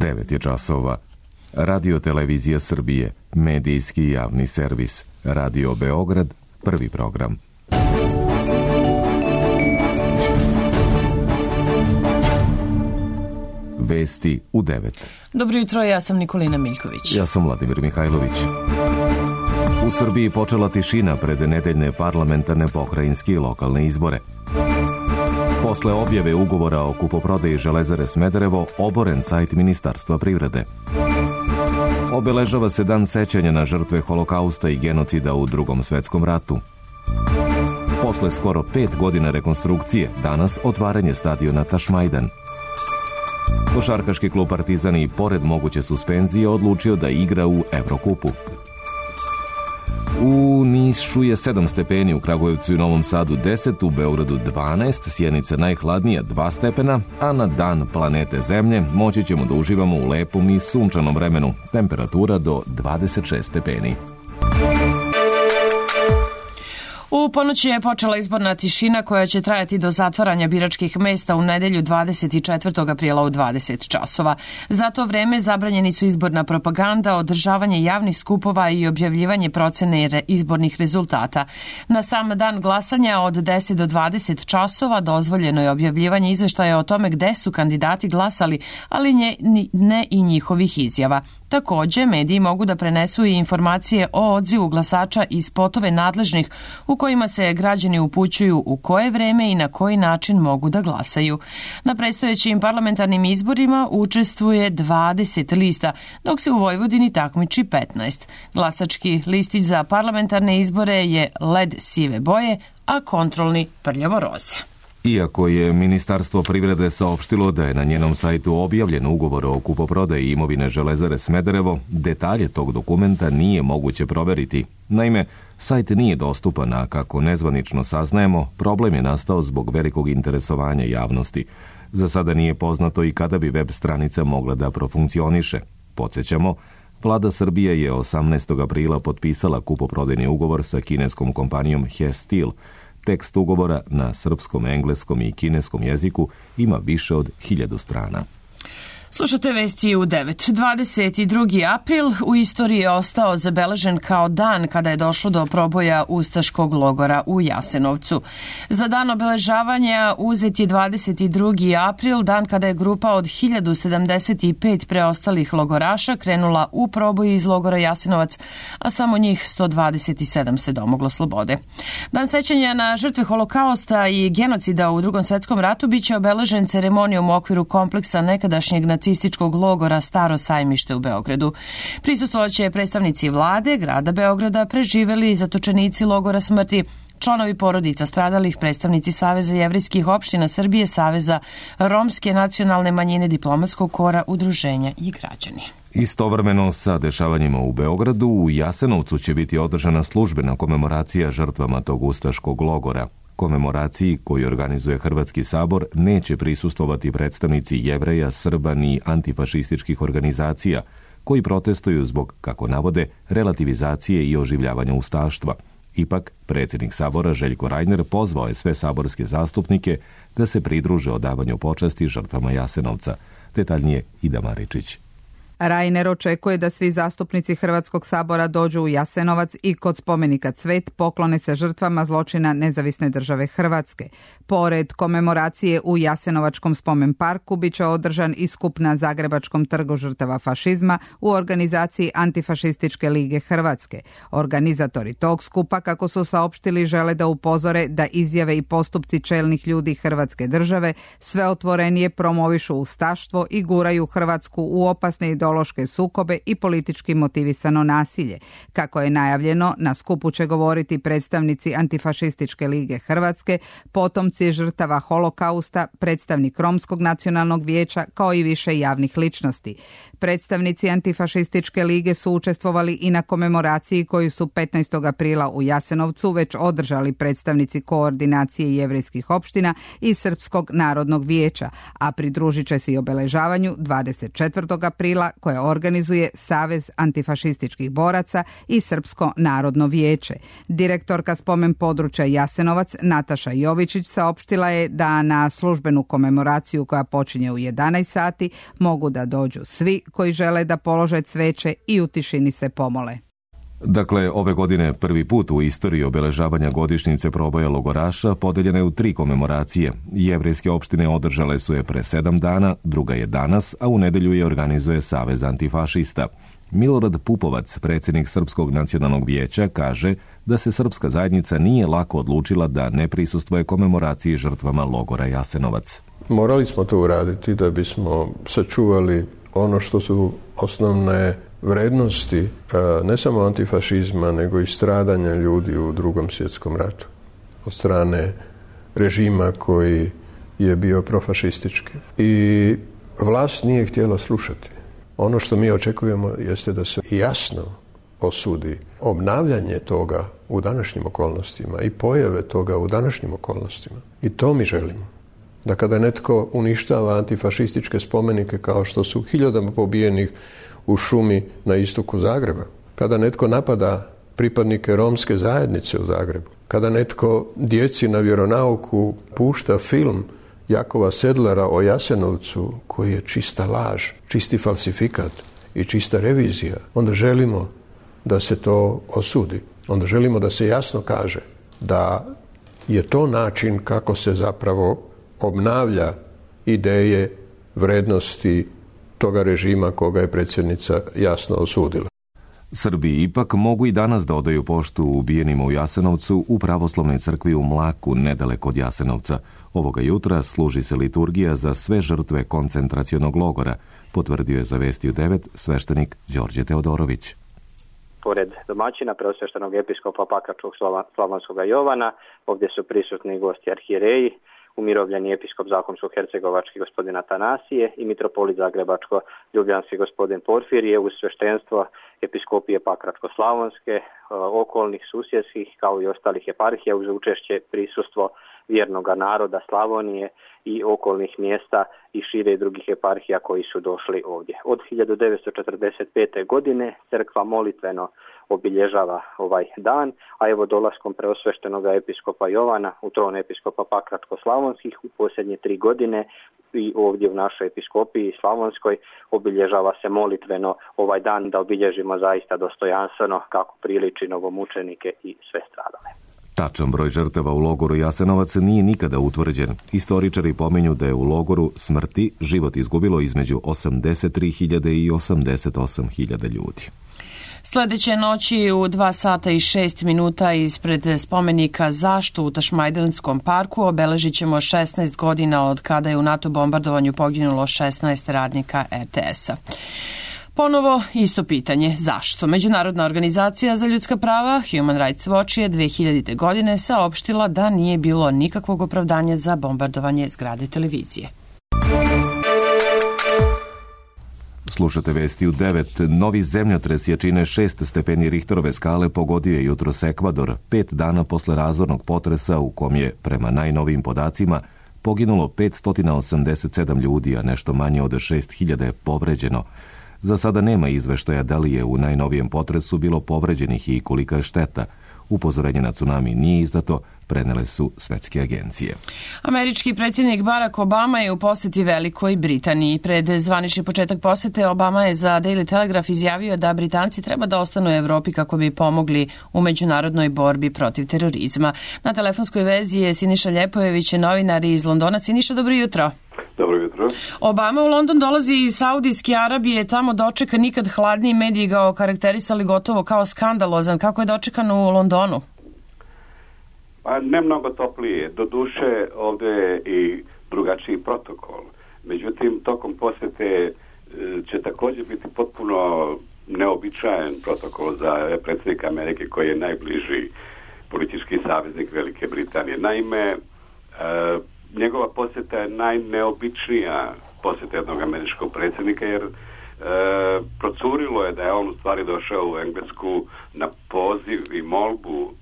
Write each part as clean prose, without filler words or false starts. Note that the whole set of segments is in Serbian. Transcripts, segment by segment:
9 je časova. Radio Televizija Srbije, medijski javni servis. Radio Beograd, prvi program. Vesti u 9. Dobro jutro, ja sam Nikolina Miljković. Ja sam Vladimir Mihajlović. U Srbiji počela tišina pred nedeljne parlamentarne, pokrajinske i lokalne izbore. Posle objave ugovora o kupoprodaji Železare Smederevo, oboren sajt Ministarstva privrede. Obeležava se dan sećanja na žrtve Holokausta i genocida u Drugom svetskom ratu. Posle skoro 5 godina rekonstrukcije, danas otvaranje stadiona Tašmajdan. Košarkaški klub Partizan i pored moguće suspenzije odlučio da igra u Evrokupu. U Nišu je 7 stepeni, u Kragujevcu i Novom Sadu 10, u Beogradu 12, Sjenica najhladnija 2 stepena, a na dan planete Zemlje moći ćemo da uživamo u lepom i sunčanom vremenu, temperatura do 26 stepeni. U ponoći je počela izborna tišina koja će trajati do zatvaranja biračkih mesta u nedelju 24. aprila u 20 časova. Za to vreme zabranjeni su izborna propaganda, održavanje javnih skupova i objavljivanje procene izbornih rezultata. Na sam dan glasanja od 10 do 20 časova dozvoljeno je objavljivanje izveštaja o tome gde su kandidati glasali, ali ne i njihovih izjava. Takođe, mediji mogu da prenesu i informacije o odzivu glasača i spotove nadležnih u kojima se građani upućuju u koje vreme i na koji način mogu da glasaju. Na predstojećim parlamentarnim izborima učestvuje 20 lista, dok se u Vojvodini takmiči 15. Glasački listić za parlamentarne izbore je led sive boje, a kontrolni prljavo roze. Iako je Ministarstvo privrede saopštilo da je na njenom sajtu objavljen ugovor o kupoprodaji imovine Železare Smederevo, detalje tog dokumenta nije moguće proveriti. Naime, sajt nije dostupan, a kako nezvanično saznajemo, problem je nastao zbog velikog interesovanja javnosti. Za sada nije poznato i kada bi web stranica mogla da profunkcioniše. Podsjećamo, Vlada Srbije je 18. aprila potpisala kupoprodajni ugovor sa kineskom kompanijom He Steel. Tekst ugovora na srpskom, engleskom i kineskom jeziku ima više od 1000 strana. Slušate vesti u 9. 22. april u istoriji je ostao zabeležen kao dan kada je došlo do proboja ustaškog logora u Jasenovcu. Za dan obeležavanja uzet je 22. april, dan kada je grupa od 1075 preostalih logoraša krenula u proboj iz logora Jasenovac, a samo njih 127 se domoglo slobode. Dan sećanja na žrtve Holokausta i genocida u Drugom svetskom ratu biće obeležen ceremonijom u okviru kompleksa nekadašnjeg nacističkog logora Staro sajmište u Beogradu. Prisustvovaće predstavnici vlade, grada Beograda, preživeli zatočenici logora smrti, članovi porodica stradalih, predstavnici Saveza jevrejskih opština Srbije, Saveza romske nacionalne manjine, diplomatskog kora, udruženja i građani. Istovremeno sa dešavanjima u Beogradu, u Jasenovcu će biti održana službena komemoracija žrtvama tog ustaškog logora. Komemoraciji koju organizuje Hrvatski sabor neće prisustvovati predstavnici Jevreja, Srba ni antifašističkih organizacija koji protestuju zbog, kako navode, relativizacije i oživljavanja ustaštva. Ipak, predsjednik sabora Željko Rajner pozvao je sve saborske zastupnike da se pridruže odavanju počasti žrtvama Jasenovca. Detaljnije Ida Maričić. Rajner očekuje da svi zastupnici Hrvatskog sabora dođu u Jasenovac i kod spomenika Cvet poklone se žrtvama zločina Nezavisne države Hrvatske. Pored komemoracije u Jasenovačkom spomen parku biće održan i skup na Zagrebačkom trgu žrtava fašizma u organizaciji Antifašističke lige Hrvatske. Organizatori tog skupa, kako su saopštili, žele da upozore da izjave i postupci čelnih ljudi Hrvatske države sve otvorenije promovišu ustaštvo i guraju Hrvatsku u opasne ideološke sukobe i politički motivisano nasilje. Kako je najavljeno, na skupu će govoriti predstavnici Antifašističke lige Hrvatske, potomci žrtava Holokausta, predstavnik Romskog nacionalnog vijeća, kao i više javnih ličnosti. Predstavnici Antifašističke lige su učestvovali i na komemoraciji koju su 15. aprila u Jasenovcu već održali predstavnici Koordinacije jevrejskih opština i Srpskog narodnog vijeća, a pridružit će se i obeležavanju 24. aprila koje organizuje Savez antifašističkih boraca i Srpsko narodno vijeće. Direktorka spomen područja Jasenovac Nataša Jovičić saopštila je da na službenu komemoraciju koja počinje u 11 sati mogu da dođu svi koji žele da polože cveće i u tišini se pomole. Dakle, ove godine prvi put u istoriji obeležavanja godišnjice proboja logoraša podeljene u 3 komemoracije. Jevrejske opštine održale su je pre 7 dana, druga je danas, a u nedelju je organizuje Savez antifašista. Milorad Pupovac, predsjednik Srpskog nacionalnog vijeća, kaže da se srpska zajednica nije lako odlučila da ne prisustvuje komemoraciji žrtvama logora Jasenovac. Morali smo to uraditi da bismo sačuvali ono što su osnovne vrednosti ne samo antifašizma, nego i stradanja ljudi u Drugom svjetskom ratu od strane režima koji je bio profašistički. I vlast nije htjela slušati. Ono što mi očekujemo jeste da se jasno osudi obnavljanje toga u današnjim okolnostima i pojave toga u današnjim okolnostima. I to mi želimo. Da kada netko uništava antifašističke spomenike kao što su hiljadama pobijenih u šumi na istoku Zagreba, kada netko napada pripadnike romske zajednice u Zagrebu, kada netko djeci na vjeronauku pušta film Jakova Sedlara o Jasenovcu koji je čista laž, čisti falsifikat i čista revizija, onda želimo da se to osudi. Onda želimo da se jasno kaže da je to način kako se zapravo obnavlja ideje, vrednosti toga režima koga je predsjednica jasno osudila. Srbi ipak mogu i danas da odaju poštu ubijenima u Jasenovcu u pravoslavnoj crkvi u Mlaku, nedaleko od Jasenovca. Ovoga jutra služi se liturgija za sve žrtve koncentracionog logora, potvrdio je za Vesti u 9 sveštenik Đorđe Teodorović. Pored domaćina preosveštenog episkopa Pakračkog Slavonskog Jovana, ovdje su prisutni gosti arhijereji, umirovljeni episkop Zakonsko-hercegovački gospodin Atanasije i mitropolit Zagrebačko-ljubljanski gospodin Porfirije uz sveštenstvo episkopije Pakračko-slavonske, okolnih susjedskih kao i ostalih eparhija uz učešće prisustvo vjernoga naroda Slavonije i okolnih mjesta i šire drugih eparhija koji su došli ovdje. Od 1945. godine crkva molitveno obilježava ovaj dan, a evo dolaskom preosveštenoga episkopa Jovana u tron episkopa Pakračko-slavonskih u posljednje 3 godine i ovdje u našoj episkopiji Slavonskoj obilježava se molitveno ovaj dan da obilježimo zaista dostojanstveno kako priliči novomučenike i sve stradale. Tačan broj žrtava u logoru Jasenovac nije nikada utvrđen. Istoričari pominju da je u logoru smrti život izgubilo između 83.000 i 88.000 ljudi. Sljedeće noći u 2 sata i 6 minuta ispred spomenika Zašto u Tašmajdanskom parku obeležit ćemo 16 godina od kada je u NATO bombardovanju poginulo 16 radnika RTS-a. Ponovo isto pitanje, zašto? Međunarodna organizacija za ljudska prava Human Rights Watch je 2000. godine saopštila da nije bilo nikakvog opravdanja za bombardovanje zgrade televizije. Slušate Vesti u 9. Novi zemljotres jačine 6 stepeni Richterove skale pogodio je jutros Ekvador, 5 dana posle razornog potresa u kom je, prema najnovijim podacima, poginulo 587 ljudi, a nešto manje od 6.000 je povređeno. Za sada nema izveštaja da li je u najnovijem potresu bilo povređenih i kolika je šteta. Upozorenje na tsunami nije izdato, prenele su svetske agencije. Američki predsjednik Barack Obama je u posjeti Velikoj Britaniji. Pred zvanični početak posjete Obama je za Daily Telegraph izjavio da Britanci treba da ostanu u Evropi kako bi pomogli u međunarodnoj borbi protiv terorizma. Na telefonskoj vezi je Siniša Ljepojević, novinar iz Londona. Siniša, dobro jutro. Dobro jutro. Obama u London dolazi iz Saudijske Arabije, tamo dočeka nikad hladniji, mediji ga okarakterisali gotovo kao skandalozan. Kako je dočekan u Londonu? Pa ne mnogo toplije. Doduše ovdje je i drugačiji protokol. Međutim, tokom posjete će također biti potpuno neobičajen protokol za predsjednika Amerike koji je najbliži politički saveznik Velike Britanije. Naime, njegova posjeta je najneobičnija posjeta jednog američkog predsjednika jer procurilo je da je on u stvari došao u Englesku na poziv i molbu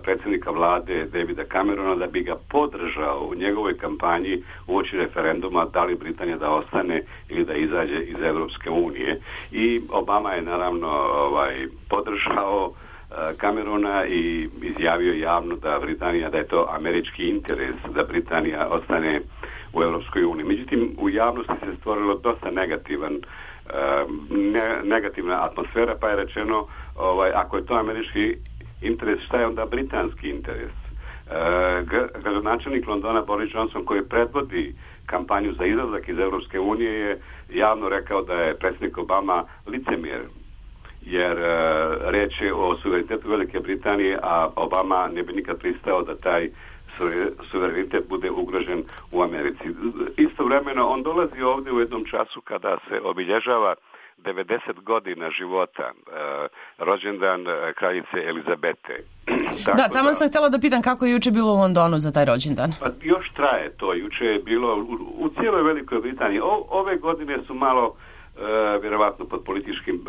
predsjednika vlade Davida Camerona da bi ga podržao u njegovoj kampanji uoči referenduma da li Britanija da ostane ili da izađe iz Europske unije. I Obama je naravno podržao Camerona i izjavio javno da da je to američki interes da Britanija ostane u Europskoj uniji. Međutim, u javnosti se stvorilo dosta negativna atmosfera, pa je rečeno ako je to američki interes, šta je onda britanski interes? Gradonačelnik Londona Boris Johnson, koji predvodi kampanju za izlazak iz Europske unije, je javno rekao da je predsjednik Obama licemjer, jer reč je o suverenitetu Velike Britanije, a Obama ne bi nikad pristao da taj suverenitet bude ugrožen u Americi. Istovremeno on dolazi ovdje u jednom času kada se obilježava 90 godina života, rođendan kraljice Elizabete. Da, tamo sam htjela da pitam kako je juče bilo u Londonu za taj rođendan. Pa još traje to, juče je bilo u cijeloj Velikoj Britaniji. Ove godine su malo vjerovatno pod političkim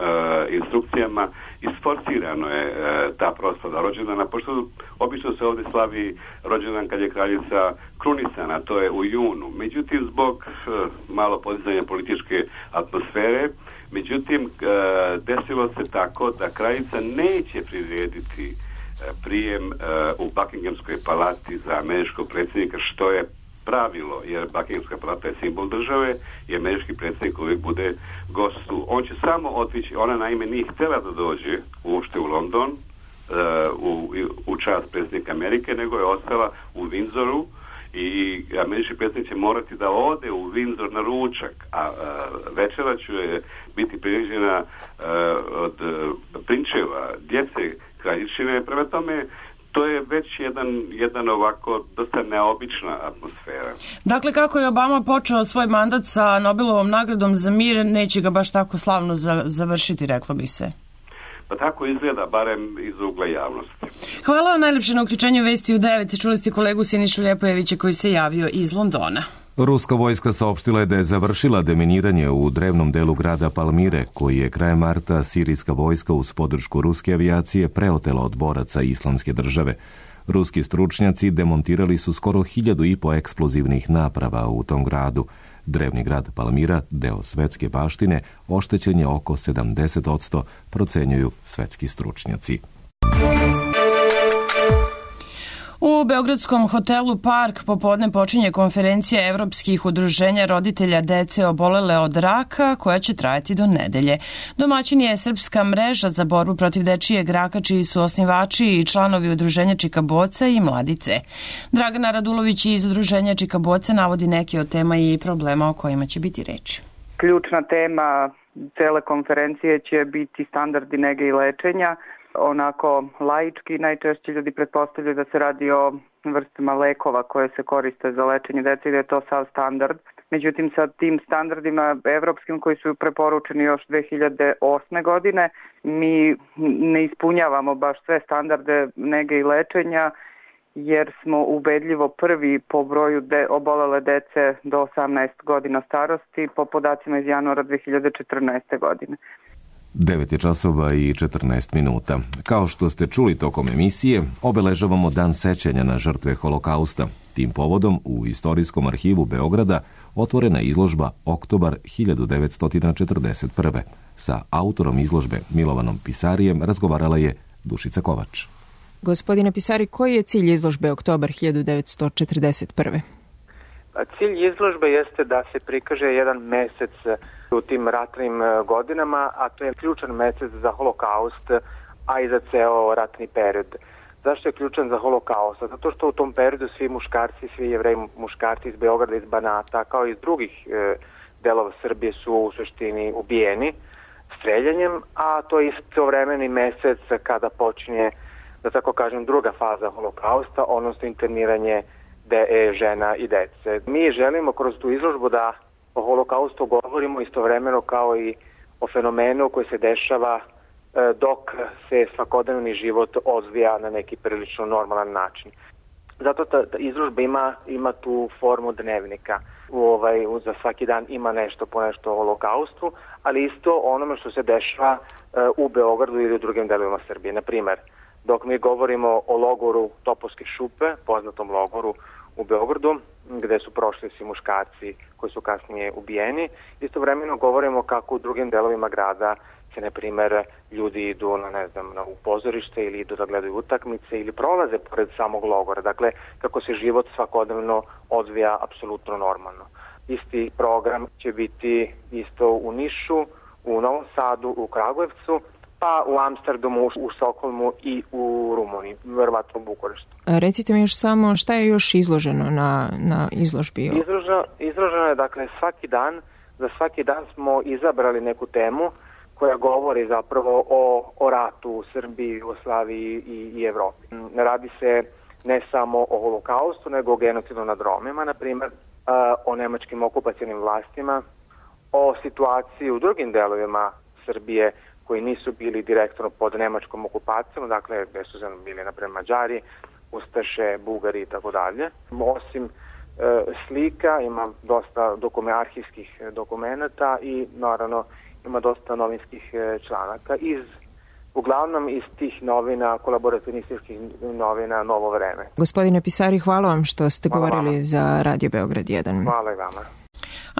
instrukcijama isforcirano je ta proslava rođendana, pošto obično se ovdje slavi rođendan kad je kraljica krunisana, to je u junu. Međutim, zbog malo podizanja političke atmosfere, desilo se tako da kraljica neće prirediti prijem u Buckinghamskoj palati za američkog predsjednika, što je pravilo, jer Buckinghamska palata je simbol države i američki predsjednik uvijek bude gostu. On će samo otići, ona naime nije htjela da dođe uopšte u London u čast predsjednika Amerike, nego je ostala u Windsoru i američki predsjednik će morati da ode u Windsor na ručak, a večera će biti priređena od prinčeva, djece kraljičine. Prema tome, to je već jedan ovako dosta neobična atmosfera. Dakle, kako je Obama počeo svoj mandat sa Nobelovom nagradom za mir, neće ga baš tako slavno završiti, reklo bi se. Pa tako izgleda, barem iz ugla javnosti. Hvala vam najljepše na uključenju Vesti u 9. Čuli ste kolegu Sinišu Ljepojevića koji se javio iz Londona. Ruska vojska saopštila je da je završila deminiranje u drevnom delu grada Palmire, koji je krajem marta sirijska vojska uz podršku ruske avijacije preotela od boraca Islamske države. Ruski stručnjaci demontirali su skoro 1500 eksplozivnih naprava u tom gradu. Drevni grad Palmira, deo svetske baštine, oštećen je oko 70%, procenjuju svetski stručnjaci. U beogradskom hotelu Park popodne počinje konferencija evropskih udruženja roditelja dece obolele od raka koja će trajati do nedelje. Domaćin je Srpska mreža za borbu protiv dečijeg raka, čiji su osnivači i članovi udruženja Čika Boca i Mladice. Dragana Radulović iz udruženja Čika Boca navodi neke od tema i problema o kojima će biti reč. Ključna tema cele konferencije će biti standardi nege i lečenja. Onako laički najčešće ljudi pretpostavljaju da se radi o vrstama lekova koje se koriste za lečenje dece i da je to sav standard. Međutim, sa tim standardima evropskim koji su preporučeni još 2008. godine, mi ne ispunjavamo baš sve standarde nege i lečenja, jer smo ubedljivo prvi po broju obolele dece do 18 godina starosti po podacima iz januara 2014. godine. 9 je časova i 14 minuta. Kao što ste čuli tokom emisije, obeležavamo Dan sećanja na žrtve Holokausta. Tim povodom u Istorijskom arhivu Beograda otvorena izložba Oktobar 1941. Sa autorom izložbe Milovanom Pisarijem razgovarala je Dušica Kovač. Gospodine Pisari, koji je cilj izložbe Oktobar 1941? Cilj izložbe jeste da se prikaže jedan mesec u tim ratnim godinama, a to je ključan mesec za Holokaust, a i za ceo ratni period. Zašto je ključan za Holokaust? Zato što u tom periodu svi muškarci, svi jevreji muškarci iz Beograda, iz Banata, kao i iz drugih delova Srbije su u suštini ubijeni streljanjem, a to je istovremeni mesec kada počinje, da tako kažem, druga faza Holokausta, odnosno interniranje žena i dece. Mi želimo kroz tu izložbu da o Holokaustu govorimo istovremeno kao i o fenomenu koji se dešava dok se svakodnevni život odvija na neki prilično normalan način. Zato ta izložba ima tu formu dnevnika. za svaki dan ima nešto po nešto o holokaustu, ali isto onome što se dešava u Beogradu ili u drugim delovima Srbije. Na primer, dok mi govorimo o logoru Topovske šupe, poznatom logoru u Beogradu, gde su prošli svi muškarci koji su kasnije ubijeni, istovremeno govorimo kako u drugim delovima grada se, na primer, ljudi idu u pozorište ili idu da gledaju utakmice ili prolaze pored samog logora. Dakle, kako se život svakodnevno odvija apsolutno normalno. Isti program će biti isto u Nišu, u Novom Sadu, u Kragujevcu, pa u Amsterdamu, u Stokholmu i u Rumuniji, verovatno u Bukureštu. Recite mi još samo šta je još izloženo na izložbi? Izloženo je, dakle, za svaki dan smo izabrali neku temu koja govori zapravo o ratu u Srbiji, Jugoslaviji i Evropi. Radi se ne samo o holokaustu, nego o genocidu nad Romima, na primjer, o nemačkim okupacionim vlastima, o situaciji u drugim delovima Srbije koji nisu bili direktno pod nemačkom okupacijom, dakle gde su bili naprimjer Mađari, Ustaše, Bugari i tako dalje. Osim slika ima dosta arhivskih dokumenata i naravno ima dosta novinskih članaka uglavnom iz tih novina, kolaboracionističkih novina Novo vreme. Gospodine Pisari, hvala vam što ste govorili za Radio Beograd 1. Hvala i vama.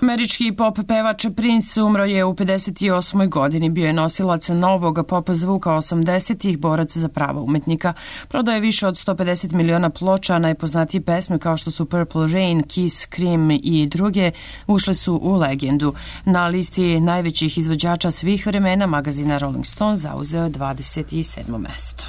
Američki pop pevač Prince umro je u 58. godini. Bio je nosilac novog pop zvuka 80-ih, borac za prava umetnika. Prodao je više od 150 miliona ploča, a najpoznatije pesme kao što su Purple Rain, Kiss, Cream i druge ušle su u legendu. Na listi najvećih izvođača svih vremena magazina Rolling Stone zauzeo 27. mesto.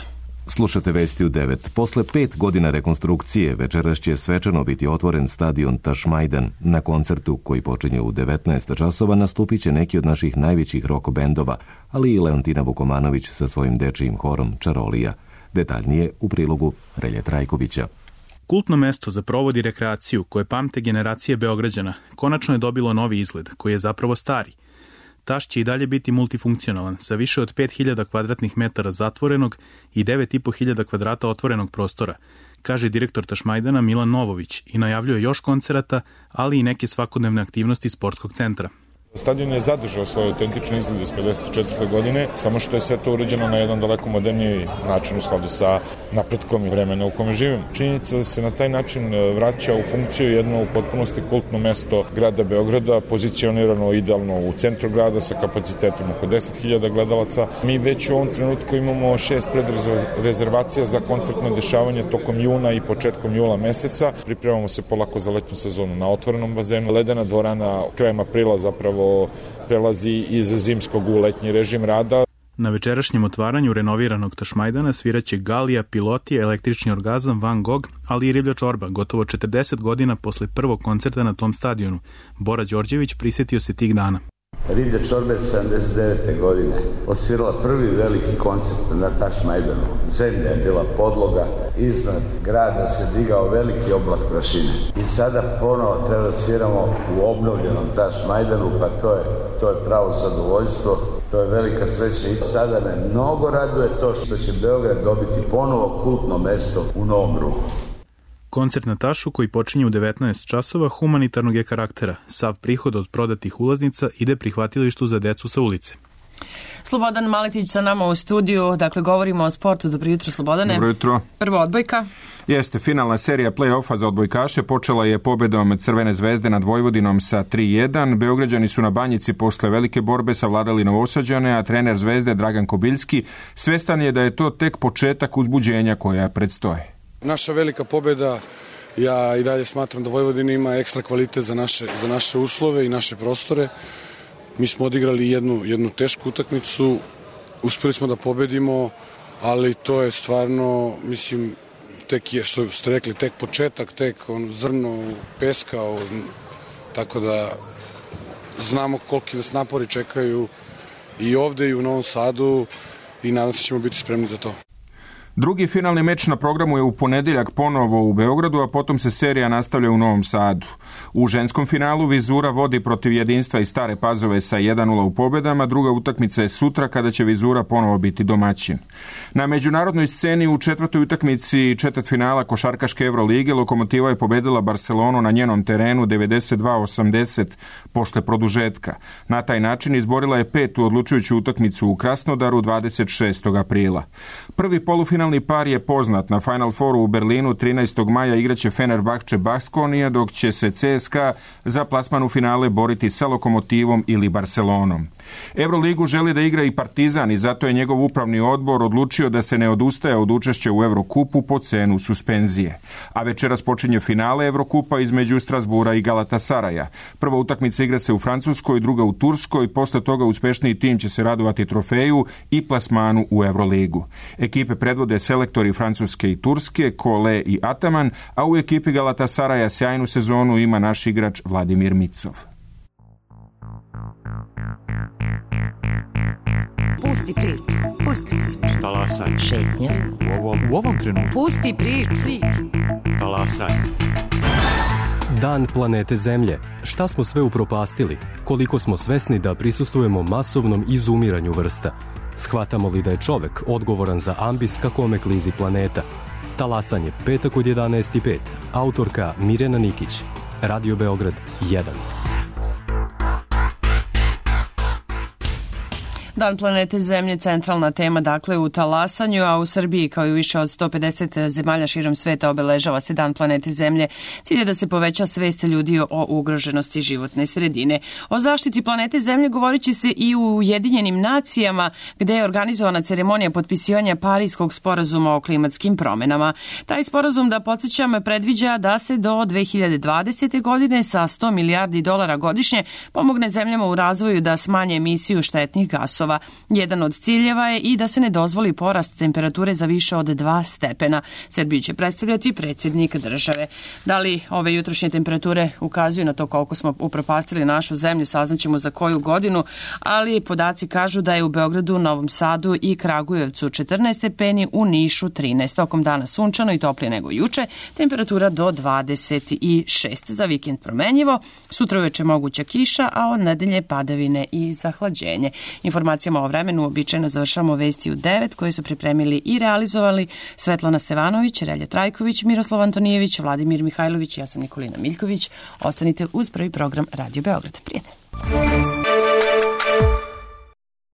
Slušate vesti u 9. Posle 5 godina rekonstrukcije večeras će svečano biti otvoren stadion Tašmajdan. Na koncertu koji počinje u 19 časova nastupit će neki od naših najvećih rock bendova, ali i Leontina Vukomanović sa svojim dečijim horom Čarolija. Detaljnije u prilogu Relje Trajkovića. Kultno mesto za provod i rekreaciju koje pamte generacije Beograđana konačno je dobilo novi izgled koji je zapravo stari. Taš će i dalje biti multifunkcionalan, sa više od 5000 kvadratnih metara zatvorenog i 9500 kvadrata otvorenog prostora, kaže direktor Tašmajdana Milan Novović i najavljuje još koncerata, ali i neke svakodnevne aktivnosti sportskog centra. Stadion je zadržao svoj autentični izgled iz 54. godine, samo što je sve to urađeno na jedan daleko moderniji način u skladu sa napretkom i vremena u kome živimo. Činjenica da se na taj način vraća u funkciju jedno u potpunosti kultno mesto grada Beograda, pozicionirano idealno u centru grada sa kapacitetom oko 10.000 gledalaca. Mi već u ovom trenutku imamo 6 predrezervacija za koncertno dešavanje tokom juna i početkom jula meseca. Pripremamo se polako za letnju sezonu na otvorenom bazenu. Ledena dvorana krajem aprila zapravo prelazi iz zimskog u letnji režim rada. Na večerašnjem otvaranju renoviranog Tašmajdana sviraće Galija, Pilotija, Električni orgazam, Van Gogh, ali i Riblja čorba, gotovo 40 godina posle prvog koncerta na tom stadionu. Bora Đorđević prisjetio se tih dana. Riblja čorba je 79. godine osvirala prvi veliki koncert na Tašmajdanu. Zemlja je bila podloga, iznad grada se digao veliki oblak prašine. I sada ponovo treba da sviramo u obnovljenom Tašmajdanu, pa to je pravo zadovoljstvo, to je velika sreća. I sada me mnogo raduje to što će Beograd dobiti ponovo kultno mesto u Novom Ruhu. Koncert na Tašu koji počinje u 19 časova humanitarnog je karaktera. Sav prihod od prodatih ulaznica ide prihvatilištu za decu sa ulice. Slobodan Maletić sa nama u studiju, dakle govorimo o sportu. Dobro jutro, Slobodane. Dobro jutro. Prvo odbojka. Jeste, finalna serija play-offa za odbojkaše počela je pobedom Crvene zvezde nad Vojvodinom sa 3-1. Beograđani su na Banjici posle velike borbe savladali Novosađane, a trener Zvezde Dragan Kobiljski svestan je da je to tek početak uzbuđenja koja predstoje. Naša velika pobjeda, ja i dalje smatram da Vojvodina ima ekstra kvalitet za naše uslove i naše prostore. Mi smo odigrali jednu tešku utakmicu, uspeli smo da pobedimo, ali to je stvarno, mislim, tek je, što ste rekli, tek početak, tek zrno peska, tako da znamo koliki nas napori čekaju i ovde i u Novom Sadu i nadam se ćemo biti spremni za to. Drugi finalni meč na programu je u ponedjeljak ponovo u Beogradu, a potom se serija nastavlja u Novom Sadu. U ženskom finalu Vizura vodi protiv Jedinstva i Stare Pazove sa 1:0 u pobjedama, druga utakmica je sutra kada će Vizura ponovo biti domaćin. Na međunarodnoj sceni u četvrtoj utakmici četvrtfinala košarkaške Evrolige Lokomotiva je pobedila Barcelonu na njenom terenu 92-80 posle produžetka. Na taj način izborila je petu odlučujuću utakmicu u Krasnodaru 26. aprila. Prvi polufinalni par je poznat. Na Final Fouru u Berlinu 13. maja igraće Fenerbahče Baskonija, dok će se CSKA za plasman u finale boriti sa Lokomotivom ili Barcelonom. Euroligu želi da igra i Partizan i zato je njegov upravni odbor odlučio da se ne odustaje od učešća u Evrokupu po cenu suspenzije. A večeras počinje finale Evrokupa između Strasbura i Galatasaraja. Prva utakmica igra se u Francuskoj, druga u Turskoj, posle toga uspešniji tim će se radovati trofeju i plasmanu u Evroligu. Ekipe predvode selektori Francuske i Turske, Kole i Ataman, a u ekipi Galatasaraja sjajnu sezonu ima naš igrač Vladimir Micov. Pusti priču. Pusti priču. Talasaj. Šetnja. U ovom trenutku. Pusti priču. Talasaj. Dan planete Zemlje. Šta smo sve upropastili? Koliko smo svesni da prisustvujemo masovnom izumiranju vrsta? Shvatamo li da je čovek odgovoran za ambis ka kome klizi planeta? Talasanje, petak od 11:05. Autorka Mirjana Nikić. Radio Beograd 1. Dan planete Zemlje, centralna tema dakle u talasanju, a u Srbiji kao i više od 150 zemalja širom sveta obeležava se Dan planete Zemlje. Cilj je da se poveća svest ljudi o ugroženosti životne sredine. O zaštiti planete Zemlje govorit će se i u Ujedinjenim nacijama, gde je organizovana ceremonija potpisivanja Parijskog sporazuma o klimatskim promenama. Taj sporazum, da podsjećam, predviđa da se do 2020. godine sa $100 milijardi godišnje pomogne zemljama u razvoju da smanje emisiju štetnih gasova. Jedan od ciljeva je i da se ne dozvoli porast temperature za više od 2 stepena. Srbiju će predstavljati predsjednik države. Da li ove jutrošnje temperature ukazuju na to koliko smo upropastili našu zemlju, saznaćemo za koju godinu, ali podaci kažu da je u Beogradu, Novom Sadu i Kragujevcu 14 stepeni, u Nišu 13. Tokom dana sunčano i toplije nego juče, temperatura do 26. Za vikend promenjivo, sutra uveče moguća kiša, a od nedelje padavine i zahlađenje. Informacijama o vremenu uobičajeno završamo vesti u 9 koje su pripremili i realizovali Svetlana Stevanović, Relja Trajković, Miroslav Antonijević, Vladimir Mihajlović, ja sam Nikolina Miljković. Ostanite uz prvi program Radio Beograd. Prijatno.